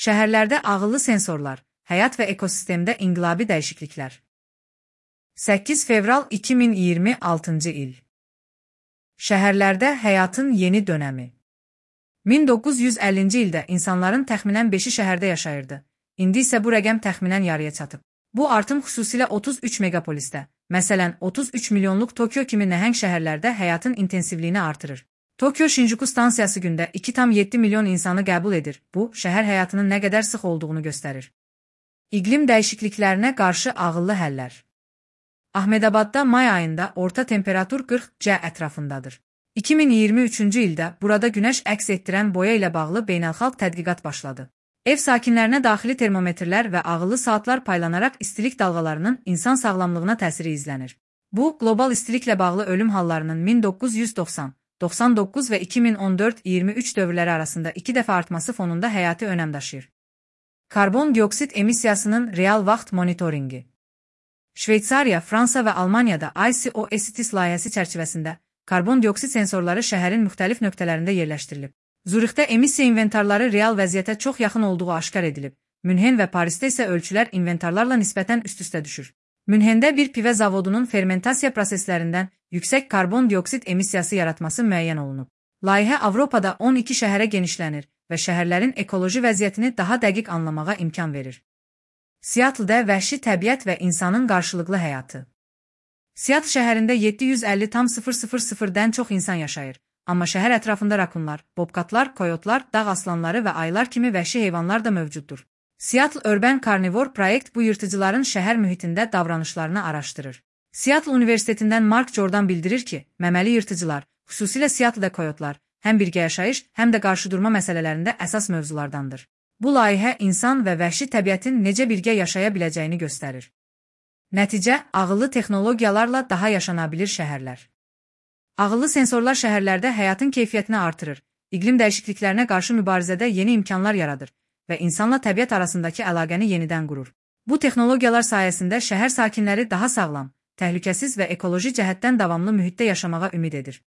Şəhərlərdə ağıllı sensorlar, həyat və ekosistemdə inqilabi dəyişikliklər. 8 fevral 2026-cı il. Şəhərlərdə həyatın yeni dönəmi. 1950-ci ildə insanların təxminən 5-i şəhərdə yaşayırdı. İndi isə bu rəqəm təxminən yarıya çatıb. Bu artım xüsusilə 33 megapolisdə, məsələn 33 milyonluq Tokyo kimi nəhəng şəhərlərdə həyatın intensivliyini artırır. Tokyo Shinjuku stansiyası gündə 2,7 milyon insanı qəbul edir. Bu, şəhər həyatının nə qədər sıx olduğunu göstərir. İqlim dəyişikliklərinə qarşı ağıllı həllər. Ahmedabadda may ayında orta temperatur 40°C ətrafındadır. 2023-cü ildə burada günəş əks etdirən boya ilə bağlı beynəlxalq tədqiqat başladı. Ev sakinlərinə daxili termometrlər və ağıllı saatlar paylanaraq istilik dalğalarının insan sağlamlığına təsiri izlənir. Bu, qlobal istiliklə bağlı ölüm hallarının 1990, 99 və 2014-23 dövrləri arasında 2 dəfə artması fonunda həyati önəm daşıyır. Karbon dioksid emissiyasının real vaxt monitoringi. Şveysariya, Fransa və Almaniyada ICO-ECTIS layihəsi çərçivəsində karbon dioksid sensorları şəhərin müxtəlif nöqtələrində yerləşdirilib. Zürixdə emissiya inventarları real vəziyyətə çox yaxın olduğu aşkar edilib. Münhen və Parisdə isə ölçülər inventarlarla nisbətən üst-üstə düşür. Münhendə bir pivə zavodunun fermentasiya proseslərindən yüksək karbon dioksid emissiyası yaratması müəyyən olunub. Layihə Avropada 12 şəhərə genişlənir və şəhərlərin ekoloji vəziyyətini daha dəqiq anlamağa imkan verir. Seattle'də vəhşi təbiət və insanın qarşılıqlı həyatı. Seattle şəhərində 750,000-dən çox insan yaşayır. Amma şəhər ətrafında rakunlar, bobkatlar, koyotlar, dağ aslanları və ayılar kimi vəhşi heyvanlar da mövcuddur. Seattle Urban Carnivore Project bu yırtıcıların şəhər mühitində davranışlarını araşdırır. Seattle Universitetindən Mark Jordan bildirir ki, məməli yırtıcılar, xüsusilə Seattle'da koyotlar, həm birgə yaşayış, həm də qarşıdurma məsələlərində əsas mövzulardandır. Bu layihə insan və vəhşi təbiətin necə birgə yaşaya biləcəyini göstərir. Nəticə, ağıllı texnologiyalarla daha yaşanabilir şəhərlər. Ağıllı sensorlar şəhərlərdə həyatın keyfiyyətini artırır, iqlim dəyişikliklərinə qarşı mübarizədə yeni imkanlar yaradır və insanla təbiət arasındakı əlaqəni yenidən qurur. Bu texnologiyalar sayəsində şəhər sakinləri daha sağlam, təhlükəsiz və ekoloji cəhətdən davamlı mühitdə yaşamağa ümid edir.